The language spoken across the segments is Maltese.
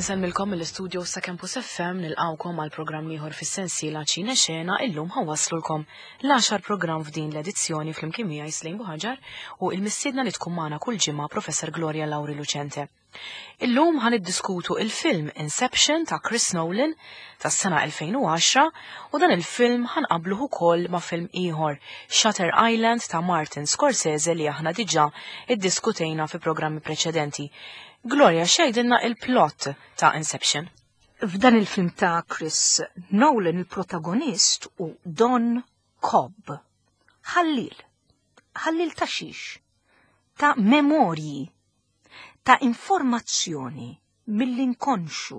Insemmilkom mill-istudio sa Campus FM nilqawkom għal programm ieħor fis-sensiela Ċine Xena illum ħawaslulkom l-għaxar programm f'din l-edizzjoni flimkien miegħi Slejn Buħaġar u il-mistiedna li tkun magħna kull ġimgħa Professor Gloria Lauri Lucente. Illum ħan iddiskutu il-film Inception ta' Chris Nolan tas-sena 2010 u dan il-film ħan qabluh ukoll ma' film ieħor Shutter Island ta' Martin Scorsese li aħna diġà iddiskutejna fi programmi preċedenti. Gloria, xejdilna il-plot ta' Inception. F'dan il-film ta' Chris Nolan il-protagonist u Don Cobb. Ħallil. Ħallil ta' xiex? Ta' memorji ta' informazzjoni mill-inkonxu.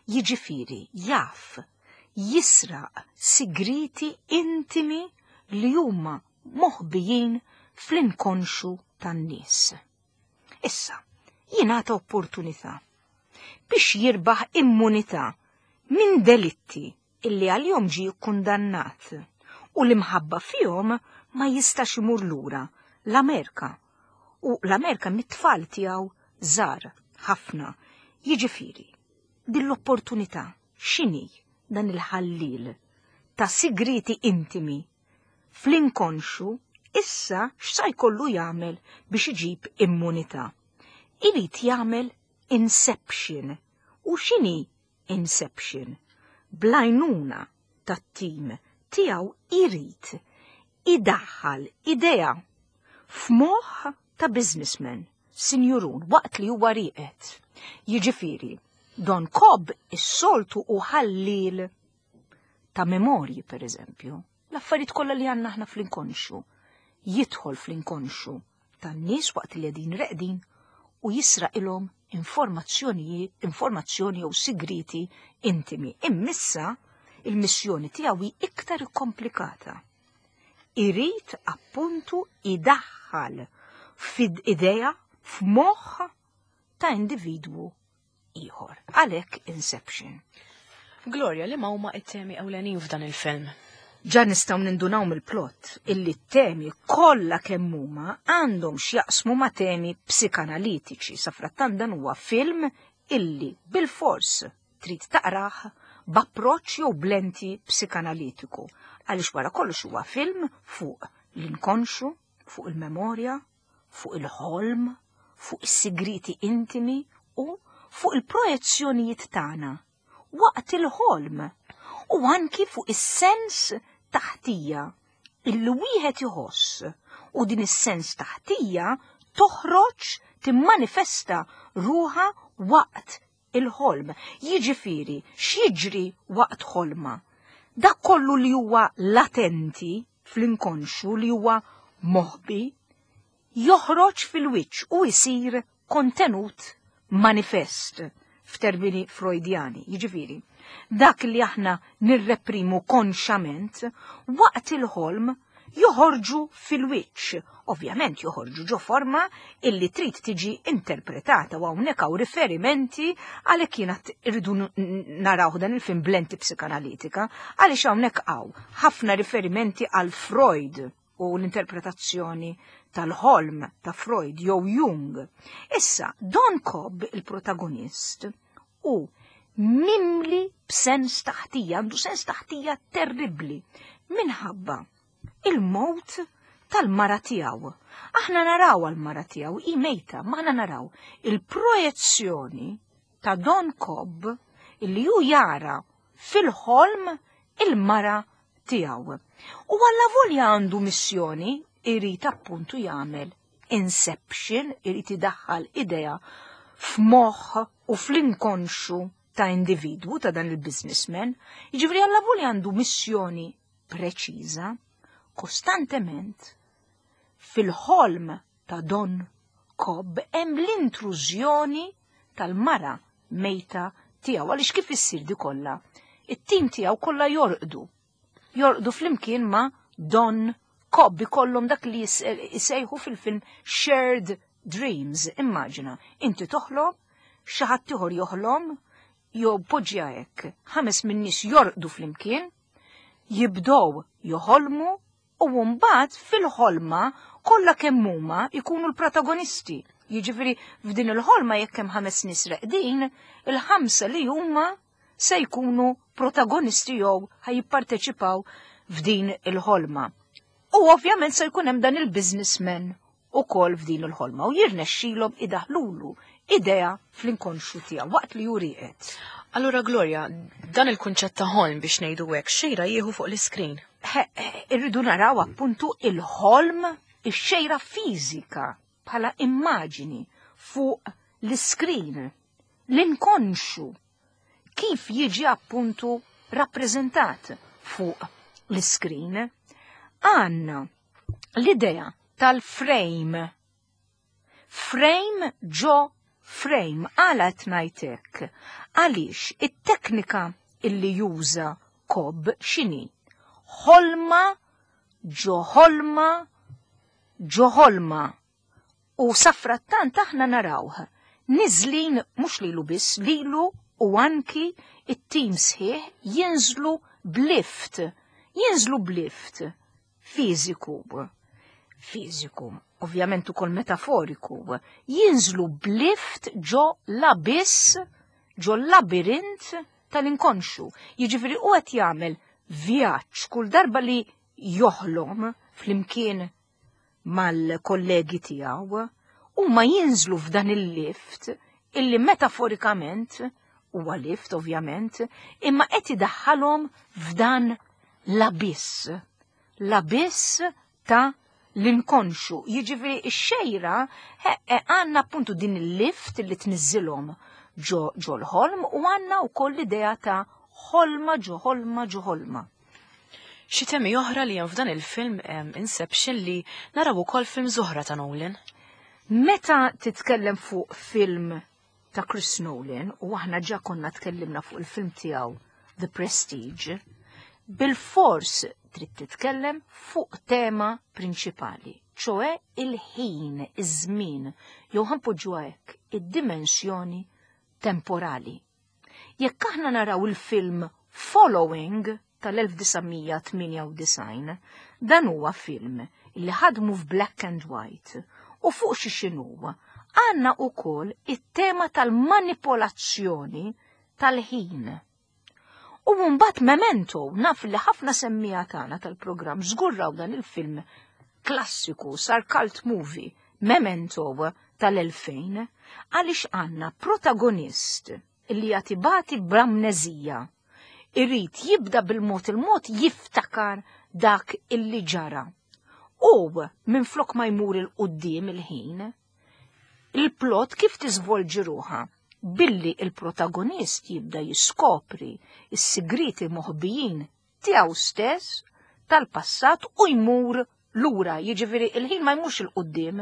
Jiġifieri jaf jisraq sigriti intimi li huma moħbijin fl-inkonxu tan-nies. Issa, jingħata opportunità biex jirbaħ immunità minn delitti illi għalihom ġie kkundannat u li mħabba fihom ma jistax imur lura l-Amerika u l-Amerika mit-tfal tiegħu żgħar ħafna. Jiġifieri, din l-opportunità x'inhi dan il-ħallil ta' sigriti intimi fl-inkonxu issa x'sa jkollu jagħmel biex iġib immunità. Irid jagħmel inception. U x'inhi Inception, bl-għajnuna tat-tim tiegħu jrid idaħħal idea f'moħħ ta' businessman, sinjurun, waqt li huwa rieqed. Jiġifieri, Don Cobb is-soltu u ħallil ta' memorji, per eżempju, l-affarijiet kollha li għandna aħna fl-inkonxu, jidħol fl-inkonxu tan-nies waqt li qegħdin reqdin u jisraqilhom informazzjonijiet, informazzjoni jew sigriti intimi. Immissa il-missjoni tiegħu hi iktar ikkomplikata. Irid appuntu idaħħal fid idea f'moħħ ta' individwu ieħor. Għalhekk Inception. Gloria, li ma huma it-temi ewlenin f'dan il-film? Ġa nistgħu nindunaw mill-plot illi t-temi kollha kemm huma għandhom x'jaqsmu ma' temi psikanalitiċi. Safrattant dan huwa film illi bil-fors trid taqrah b'approċċ jew b'lenti psikanalitiku għaliex wara kollox huwa film fuq l-inkonxu, fuq il-memorja, fuq il-ħolm, fuq is-sigriti intimi u fuq il-projezzjonijiet tagħna waqt il-ħolm u anki fuq is-sens taħtija illi wieħed iħoss u din is-sens taħtija toħroġ timmanifesta ruha waqt il-ħolm. Jiġifieri x'jiġri waqt ħolma? Dak kollu li huwa latenti fl-inkonxu li huwa moħbi joħroġ fil-wiċċ u jsir kontenut manifest f'termini Freudjani. Jiġifieri, dak li aħna nirreprimu konxament waqt il-ħolm joħorġu fil-wiċċ. Ovvjament joħorġu ġo forma illi trid tiġi interpretata u hawnhekk hawn riferimenti għalhekk jiena irridu naraw dan il-film b'lenti psikanalitika għaliex hawnhekk hawn ħafna riferimenti għal Freud u l-interpretazzjoni tal-ħolm ta' Freud jew Jung. Issa, Don Cobb, il-protagonist, u mimli b'sens taħtija, għandu sens taħtija terribbli, minħabba il-mowt tal-mara tiegħu. Aħna naraw għal-mara tiegħu, hi mejta, ma aħna naraw il-projezzjoni ta' Don Cobb illi hu jara fil-ħolm il-mara tiegħu. U għalla volja għandu missjoni irid appuntu jagħmel inception, irid idaħħal idea f'moħħ u fl-inkonxu ta' individwu ta' dan il-businessman, jiġifieri għalla volja għandu missjoni preċiża, kostantement fil-ħolm ta' Don Cobb hemm l-intrużjoni tal-mara mejta tiegħu għaliex kif issir di kollha? It-tim tiegħu kollha jorqdu. Jorqdu flimkien ma' Don Cobb ikollhom dak li jsejħu fil-film shared dreams. Immaġina, inti toħlom, xi ħadd ieħor joħlom, jew poġġja hekk, ħames min-nies jorqdu flimkien, jibdow joħolmu u mbagħad fil-ħolma kollha kemm huma jkunu l-protagonisti. Jiġifieri f'din il-ħolma jekk hemm ħames nies reqdin, il-ħamsa li huma se jkunu protagonisti jew ħajjipparteċipaw f'din il-ħolma. U ovvjament se jkun hemm dan il-businessman ukoll f'din il-ħolma u jirnexxilhom idaħlulu idea fl-inkonxju tiegħu waqt li hu rieqed. Allura Gloria, dan il-kunċett ta' ħolm biex ngħidu hekk xejra jieħu fuq l-iskrin. Irridu naraw appuntu il-ħolm, ix-xejra fiżika bħala immaġini fuq l-iskrin, l-inkonxju kif jiġi appuntu rappreżentat fuq l-iskrin. Għanna l-idea tal-frame. Frame ġo frame, għala qed ngħid hekk? Għaliex it-teknika illi juża Cobb x'inhi? Ħolma ġo ħolma ġo ħolma. U safrattant aħna narawh niżlin mhux lilu biss, lilu u anki it-tim sħiħ jinżlu b'lift. Jinżlu b'lift fiżiku. Fiżiku, ovvjament ukoll metaforiku. Jinżlu b'lift ġo l-abiss, ġo l-labirint tal-inkonxu. Jiġifieri hu qed jagħmel vjaġġ kull darba li joħlom flimkien mal-kollegi tiegħu, huma jinżlu f'dan il-lift illi metaforikament huwa lift ovvjament, imma qed idaħħalhom f'dan l-abiss. L-abiss ta' l-inkonxu. Jiġifieri x-xejra għandna appuntu din il-lift li tniżżilhom ġo l-ħolm u għandna wkoll l-idea ta' ħolma ġo ħolma ġo ħolma. Xi temi oħra li hemm f'dan il-film Inception li naraw ukoll film oħra ta' Nolan? Meta titkellem fuq film ta' Chris Nolan, u aħna ġa konna tkellimna fuq il-film tiegħu The Prestige, bil-fors trid titkellem fuq tema prinċipali, ċoe il-ħin, iż-żmien, jew ħanpoġġuha hekk, id-dimensjoni temporali. Jekk aħna naraw il-film Following tal-1998, dan huwa film li ħadmu f'black and white u fuq xi x'inhu għandna wkoll it-tema tal-manipolazzjoni tal-ħin. U mbagħad Memento, naf li ħafna semmija tagħna tal-programm żgurraw dan il-film klassiku, sar cult movie, Memento tal-2000, għaliex għandna protagonist li jagħti b'amneżija. Irid jibda bil-mod il-mod jiftakar dak illi ġara. U minflok ma jmur il-qudiem il-ħin, il-plot kif tiżvolġi ruħha? Billi il-protagonist jibda jiskopri s-sigriti moħbijin tiegħu stess tal-passat u jmur lura, jiġifieri il-ħin ma jmurx il-qudiem,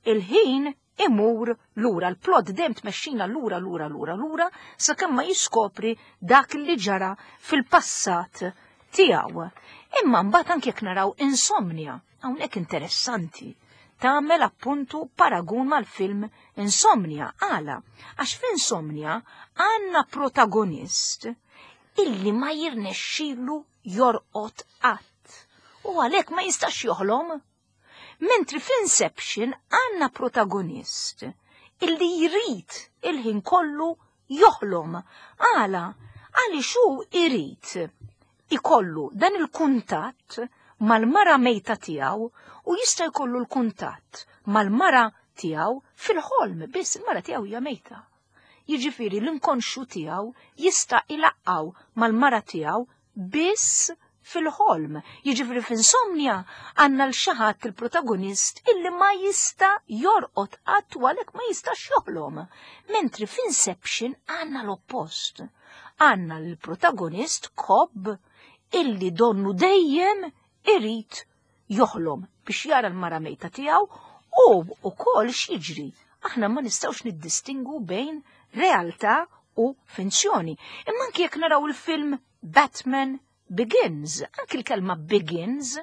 il-ħin imur lura, l-plot dejjem tmexxina lura, lura, lura, lura, sakemm ma jiskopri dak li ġara fil-passat tiegħu. Imma mbagħad anke jekk naraw Insomnia, hawnhekk interessanti, tagħmel appuntu paragun mal-film Insomnia. Għala? Għax f'Insomnia għandna protagonist illi ma jirnexxilu jorqod qatt u għalhekk ma jistax joħlom. Mentri f'Inception għandna protagonist illi jrid il-ħin kollu joħlom. Għala? Għaliex hu irid ikollu dan il-kuntatt mal-mara mejta tiegħu u jista' jkollu l-kuntatt mal-mara tiegħu fil-ħolm biss, il-mara tiegħu hija mejta. Jiġifieri l-inkonxju tiegħu jista' ilaqqaw mal-mara tiegħu biss fil-ħolm. Jiġifieri f'insomnia għandna l xi ħadd il-protagonist illi ma jista' jorqod qatt u għalhekk ma jistax joħlom. Mentri f'Inception għandna l-oppost. Għandna l-protagonist Cobb illi donnu dejjem irid joħlom biex jara l-mara mejta tiegħu u wkoll x'jiġri. Aħna ma nistgħux niddistingu bejn realtà u finzjoni. Imma anki jekk naraw il-film Batman Begins, anki l-kelma Begins,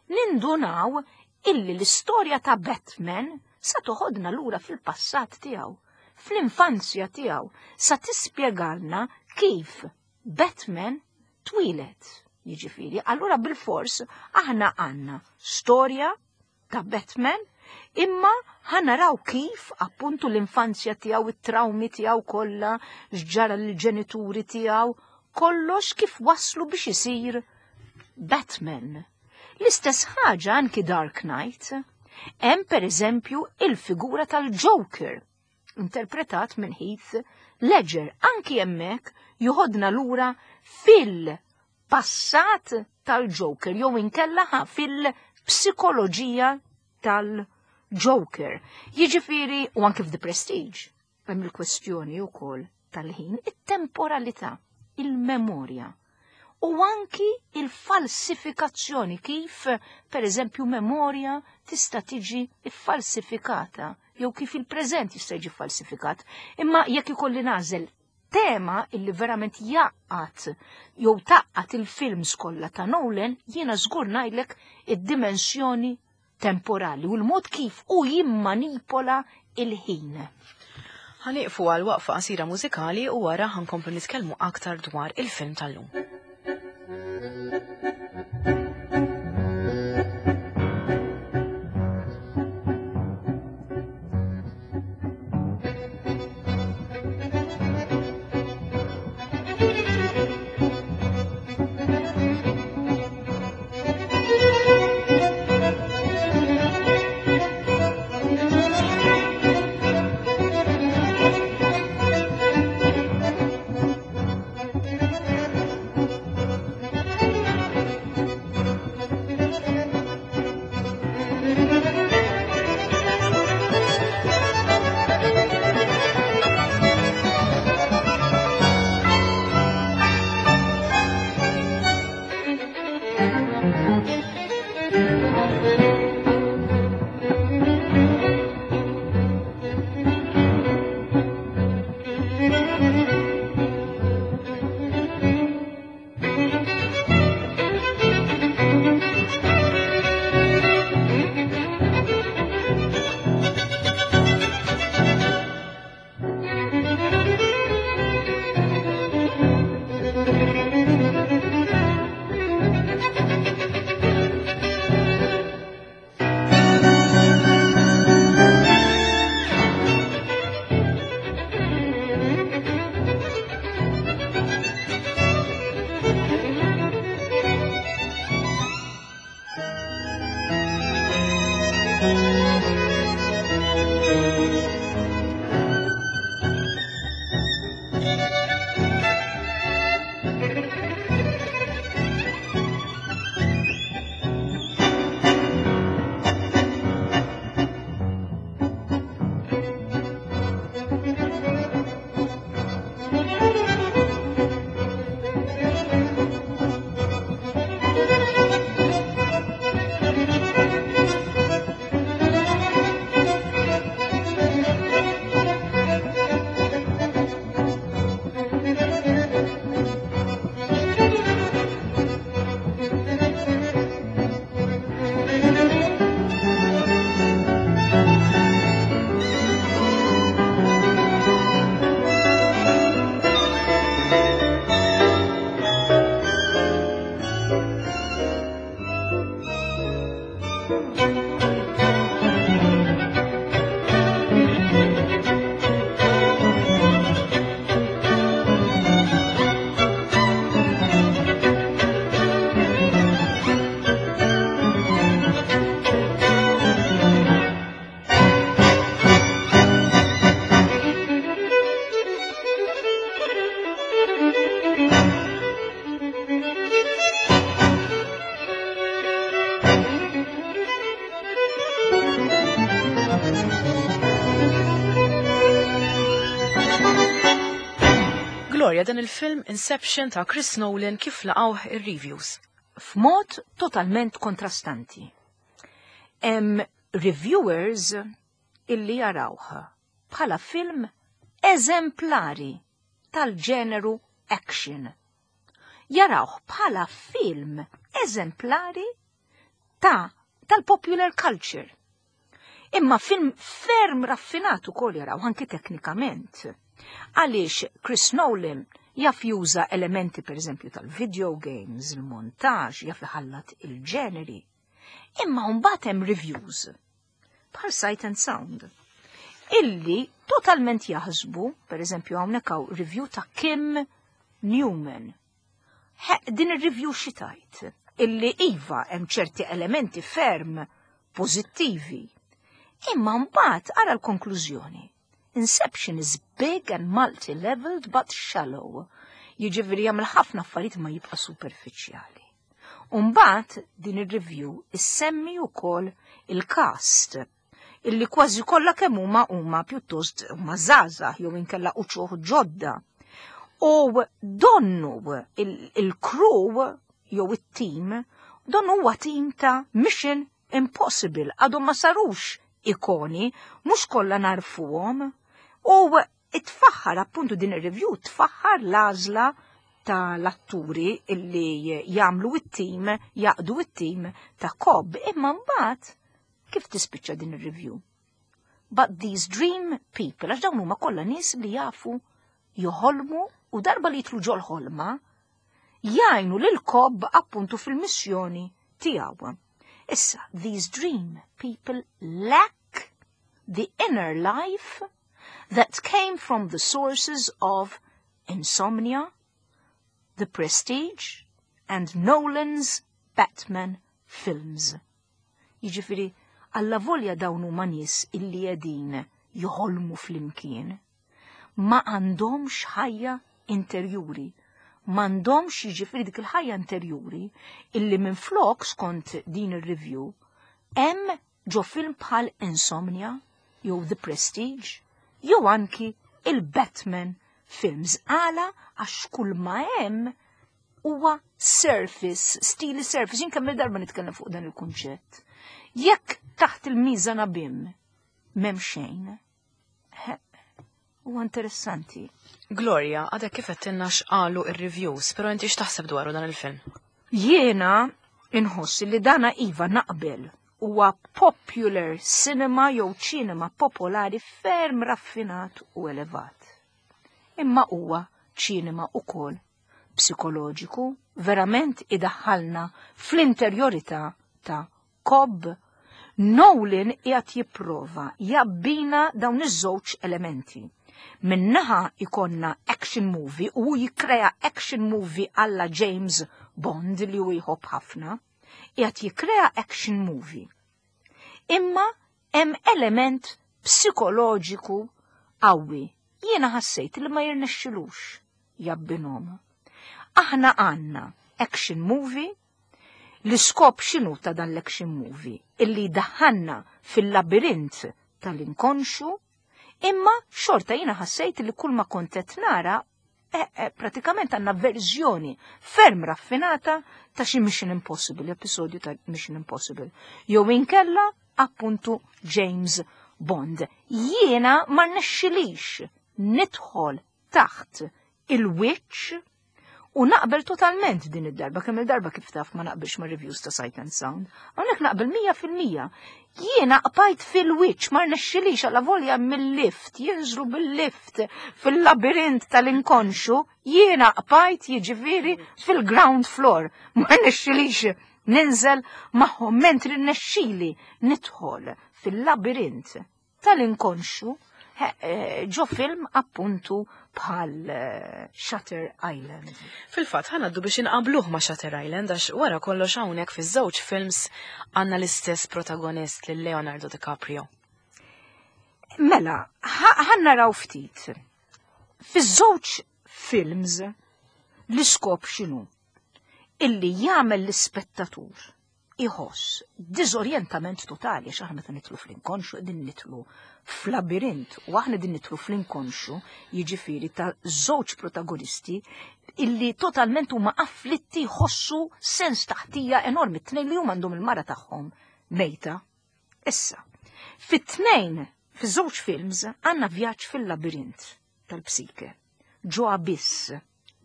nindunaw illi l-istorja ta' Batman sa toħodna lura fil-passat tiegħu, fl-infanzja tiegħu, sa tispjegalna kif Batman twieled. Jiġifieri, allura bil-fors aħna għandna storja ta' Batman Imma ħa naraw kif appuntu l-infanzja tiegħu, it-trawmi tiegħu kollha, x'ġara lill-ġenituri tiegħu, kollox kif waslu biex isir Batman. L-istess ħaġa anki Dark Knight. Hemm pereżempju il-figura tal-Joker, interpretat minn Heath Ledger, anki hemmhekk joħodna lura fil-passat tal-Joker jew inkella fil-psikoloġija tal-Joker. Jiġifieri u anki f'The Prestige hemm il-kwestjoni wkoll tal-ħin, it-temporalità, il-memorja u anki il-falsifikazzjoni kif, per eżempju, memorja tista' tiġi ffalsifikata jew kif il-preżent jista' jiġi falsifikat. Imma jekk ikolli nagħżel tema illi verament jaqgħad jew taqqat il-films kollha ta' Nolan, jiena żgur ngħidlek id-dimensjoni temporali u l-mod kif hu jimmanipola il-ħin. Ħanieqfu għal waqfa qasira mużikali u wara ħankomplu nitkellmu aktar dwar il-film tal-lum. Gloria, dan il-film Inception ta' Chris Nolan kif laqgħuh ir-reviews? F'mod totalment kontrastanti. Hemm reviewers illi jarawh bħala film eżemplari tal-ġeneru action. Jarawh bħala film eżemplari ta' tal-popular culture. Imma film ferm raffinat ukoll jaraw anki teknikament. Għaliex Chris Nolan jaf juża elementi pereżempju tal-video games, il-montaġġ, jaf iħallat il-ġeneri. Imma mbagħad hemm reviews. bħal Sight and Sound illi totalment jaħsbu, per eżempju hawnhekk hawn review ta' Kim Newman. He, din ir-review xi tajt illi iva hemm ċerti elementi ferm pożittivi. Imma mbagħad ara l-konklużjoni. Inception is big and multi-leveled but shallow. Jiġifieri jagħmel ħafna affarijiet ma jibqa' superfiċjali. Umbagħad din ir-review issemmi wkoll il-cast illi kważi kollha kemm huma huma pjuttost huma żgħażagħ jew inkella uċuħ ġodda. U donnu il-crew jew it-team, donnu huwa team ta' Mission Impossible, għadhom ma sarux ikoni, mhux kollha narfuhom. U tfaħħar appuntu din ir-review tfaħħar l-għażla tal-atturi illi jagħmlu it-tim, jaqdu it-tim ta' Cobb, imma mbagħad kif tispiċċa din ir-review? But these dream people, għax dawn huma kollha nies li jafu joħolmu u darba li jitlu ġol ħolma, jgħinu lil Cobb appuntu fil-missjoni tiegħu. Issa, these dream people lack the inner life that came from the sources of Insomnia, The Prestige, and Nolan's Batman films. Jiġifieri, alla volja dawn huma nies illi qegħdin joħolmu flimkien, ma għandhomx ħajja interjuri. M'għandhomx jiġifieri dik il-ħajja interjuri illi minflok skont din ir-review hemm ġo film bħal Insomnia jew The Prestige jew anki il-Batman films għala għax kull ma hemm huwa surface, stili surface, jien kemm darba nitkellem fuq dan il-kunċett. Jekk taħt il-miża nabim m'hemm xejn, huwa interessanti. Gloria, għadek kif għedtilna x'qalu ir-reviews, però inti x'taħseb dwaru dan il-film? Jiena inħoss li dana iva naqbel huwa popular cinema jew ċinema popolari ferm raffinat u elevat. Imma huwa ċinema ukoll psikoloġiku, verament idaħħalna fl-interjorità ta' Cobb. Nolan qiegħed jipprova jabbina dawn iż-żewġ elementi. Minnaħa ikonna action movie u jikkrea action movie alla James Bond li hu jħobb ħafna. Qiegħed jikkrea action movie. Imma hemm element psikoloġiku qawwi. Jiena ħassejt li ma jirnexxilux jabbinhom. Aħna għandna action movie. L-iskop x'inhu ta' dan l-action movie? Illi daħħalna fil-labirint tal-inkonxu, imma xorta jiena ħassejt li kull ma kont qed nara pratikament għandna verżjoni ferm raffinata ta' xi Mission Impossible, episodju ta' Mission Impossible. Jew inkella appuntu James Bond. Jiena ma rnexxilix nidħol taħt il-wiċċ u naqbel totalment din id-darba, kemm il-darba kif taf ma naqbilx ma' reviews ta' Sight and Sound. Hawnhekk naqbel 100%. Jiena qbajt fil-wiċċ, ma rnexxilix għala volja mill-lift, jinżlu bil-lift fil-labirint tal-inkonxu, jiena qbajt jiġifieri fil-ground floor. Ma rnexxilix ninżel magħhom mentri rnexxili nidħol fil-labirint tal-inkonxu ġo film appuntu bħal Shutter Island. Fil-fatt ħa ngħaddu biex inqabluh ma' Shutter Island għax wara kollox hawnhekk fiż-żewġ films għandna l-istess protagonist lil Leonardo DiCaprio. Mela, ħa naraw ftit. Fiż-żewġ films l-iskop x'inhu? Illi jagħmel l-ispettatur iħoss diżorjentament totali, għax aħna meta nidħlu fl-inkonxu qegħdin nidħlu f'labirint, u aħna din nidħlu fl-inkonxu jiġifieri ta' żewġ protagonisti illi totalment huma afflitti jħossu sens taħtija enormi, t-tnejn li huma għandhom il-mara tagħhom mejta. Issa, fit-tnejn, fiż-żewġ films għandna vjaġġ fil-labirint tal-psike, ġo abiss.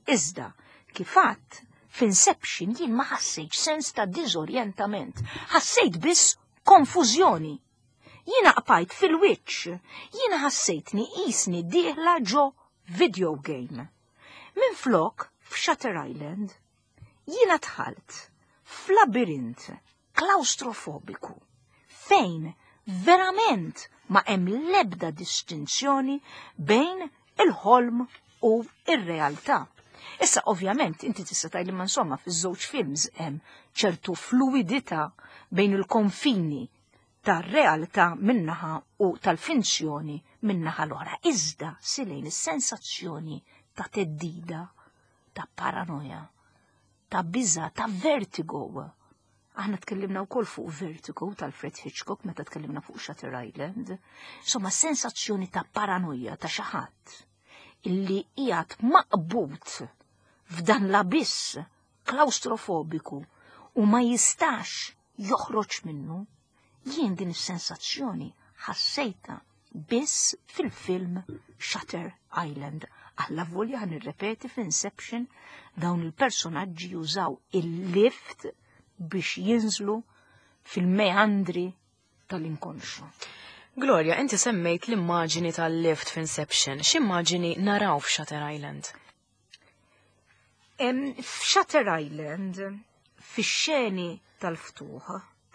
Iżda, kif għadt, f'Inception jien ma ħassejtx sens ta' diżorjentament, ħassejt biss konfużjoni. Jiena qbajt fil-wiċċ, jiena ħassejtni qisni dieħla ġo video game. Minflok, f'Shutter Island, jiena dħalt f'labirint klaustrofobiku fejn Verament ma hemm l-ebda distinzjoni bejn il-ħolm u ir-realtà. Issa ovvjament inti tista' tgħid li ma insomma fiż-żewġ films hemm ċertu fluidità bejn il-konfini tar-realtà minnaħa u tal-finzjoni minnaħa l-oħra. Iżda silejn is-sensazzjoni ta' teddida, ta' paranoja, ta' biża, ta' vertigo. Aħna tkellimna wkoll fuq Vertigo tal-Fred Hitchcock meta tkellimna fuq Shutter Island. Insomma, sensazzjoni ta' paranoja ta' xi ħadd illi qiegħed maqbud f'dan l-abiss klaustrofobiku u ma jistax joħroġ minnu, jien din is-sensazzjoni ħassejta biss fil-film Shutter Island. Alla volja ħan nirrepeti f'Inception dawn il-personaġġi jużaw il-lift biex jinżlu fil-meandri tal-inkonxu. Gloria, inti semmejt l-immaġini tal-lift f'Inception. X'immaġini naraw f'Shutter Island? F'Shutter Island, fix-xeni tal-ftuħ,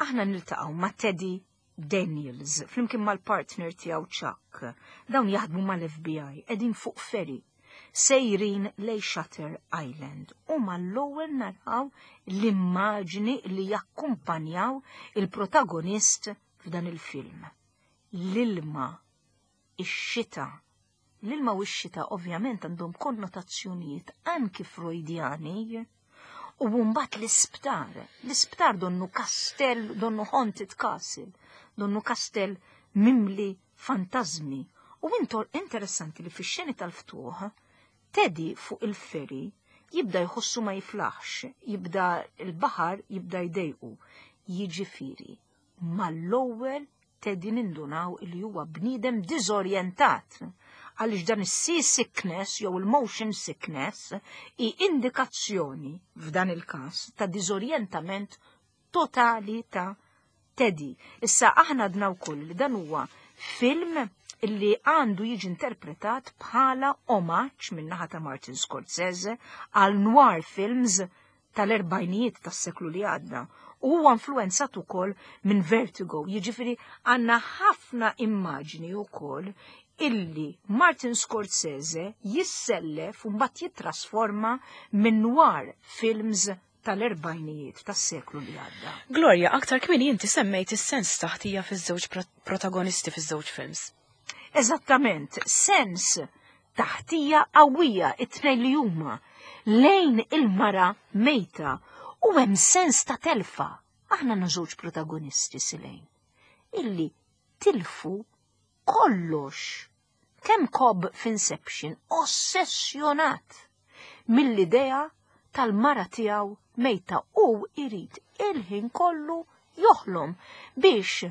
aħna niltaqgħu ma' Teddy Daniels, flimkien mal-partner tiegħu Chuck. Dawn jaħdmu mal-FBI, qegħdin fuq ferry, sejrin lej Shutter Island. U mal-ewwel naraw l-immaġni li jakkumpanjaw il-protagonist f'dan il-film. L-ilma, ix-xita. L-ilma u x-xita ovvjament għandhom konnotazzjonijiet anki Freudjani. U mbagħad l-isptar, l-isptar donnu kastell, donnu haunted castle, donnu kastell mimli fantasmi. U intor interessanti li fix-xeni tal-ftuħ, Teddy fuq il-ferry jibda jħossu ma jiflaħx, jibda l-baħar jibda jdejqu. Jiġifieri, mal-ewwel Teddy nindunaw li huwa bniedem diżorjentat għaliex dan is-sea sickness jew il-motion sickness hi indikazzjoni f'dan il-każ ta' diżorjentament totali ta' Teddy. Issa aħna għadna wkoll li dan huwa film li għandu jiġi interpretat bħala omaġġ min-naħa ta' Martin Scorsese għal noir films tal-erbajnijiet tas-seklu li għadda. U huwa influenzat ukoll minn Vertigo, jiġifieri għandna ħafna immaġni wkoll illi Martin Scorsese jissellef u mbagħad jittrasforma minn noir films tal-erbajnijiet tas-seklu li għadda. Gloria, aktar kmieni inti semmejt is-sens taħtija fiż-żewġ protagonisti fiż-żewġ films. Eżattament, sens taħtija qawwija it-tnejn li huma lejn il-mara mejta u hemm sens ta' telfa. Aħna għandna żewġ protagonisti silejn illi tilfu kollox. Kemm Cobb f'Inception ossessjonat mill-idea tal-mara tiegħu mejta u irid il-ħin kollu joħlom biex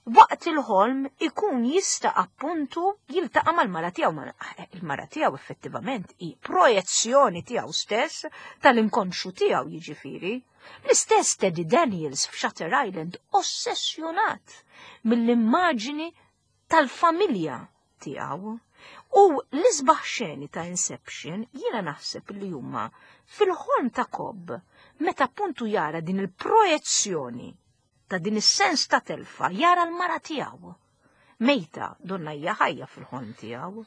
waqt il-ħolm ikun jista' appuntu jiltaqa' mal-mara tiegħu. Il-mara tiegħu effettivament hi projezzjoni tiegħu stess tal-inkonxu tiegħu jiġifieri. L-istess Teddy Daniels f'Shutter Island ossessjonat mill-immaġini tal-familja tiegħu. U l-isbaħ xeni ta' Inception jiena naħseb li huma fil-ħolm ta' Cobb meta appuntu jara din il-projezzjoni ta' din is-sens ta' telfa, jara l-mara tiegħu. Mejta donna hija ħajja fil-ħolm tiegħu.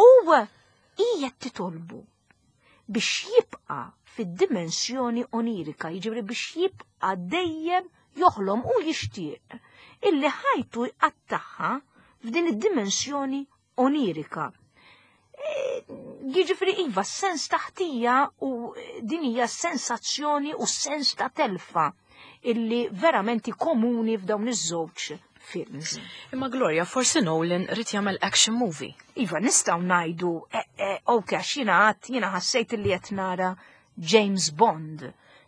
U hija titolbu biex jibqa' fid-dimensjoni onirika, jiġifieri biex jibqa' dejjem joħlom u jixtieq illi ħajtu jqattagħha f'din id-dimensjoni onirika. Jiġifieri iva, sens ta' ħtija u din hija sensazzjoni u sens ta' telfa illi verament komuni f'dawn iż-żewġ films. Imma Gloria, forsi Nolan ried jagħmel action movie. Iva, nistgħu ngħidu, ok, għax jiena għadt, jiena ħassejt illi qed nara James Bond,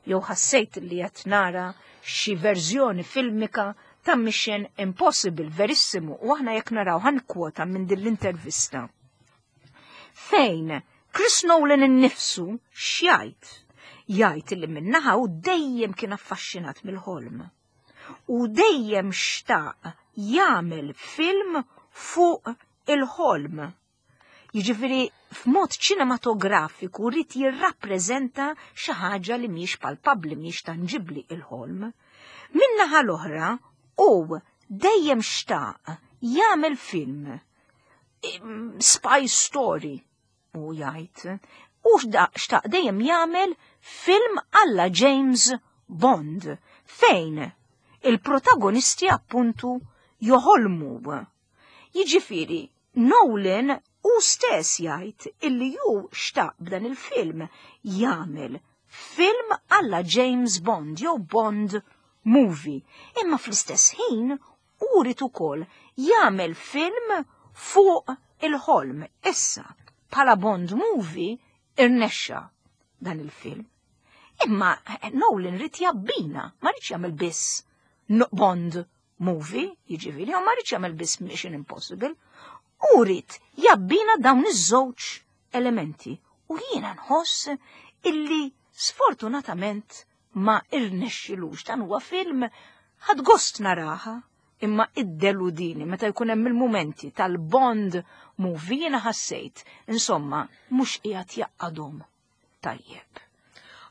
jew ħassejt li qed nara xi verżjoni filmika ta' Mission Impossible, verissimu, u aħna jekk naraw ħan kwota minn din l-intervista. Fejn Chris Nolan innifsu x'jgħid? Jgħid li minnaħa u dejjem kien affaxxinat mill-ħolm. U dejjem xtaq jagħmel film fuq il-ħolm. Jiġifieri f'mod ċinematografiku rrid jirrappreżenta xi ħaġa li mhijiex palpabbli, mhijiex tanġibbli il-ħolm. Min-naħa l-oħra, hu dejjem xtaq jagħmel film spy story u jgħid u xtaq dejjem jagħmel film alla James Bond fejn il-protagonisti appuntu joħolmu. Jiġifieri Nolan hu stess jgħid illi hu xtaq b'dan il-film jagħmel film alla James Bond jew Bond movie. Imma fl-istess ħin hu ried ukoll jagħmel film fuq il-ħolm. Issa, bħala Bond movie irnexxa dan il-film. Imma Nolan ried jabbina, ma riedx jagħmel biss Bond movie, jiġifieri, ma riedx jagħmel biss Mission Impossible, u ried jabbina dawn iż-żewġ elementi. U jiena nħoss illi sfortunatament ma irnexxilux. Dan huwa film ħadt gost naraha, imma iddeludini meta jkun hemm il-mumenti tal-Bond movie jiena ħassejt, insomma, mhux qiegħed jaqadhom tajjeb.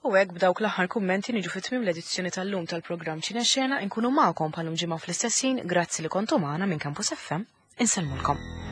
U hekk b'dawk l-aħħar kummenti niġu fi tmiem l-edizzjoni tal-lum tal-programm Ċinexena, inkunu magħkom bħalum ġimgħa fl-istess ħin. Grazzi li kontu magħna minn Campus FM. Insellmulkom.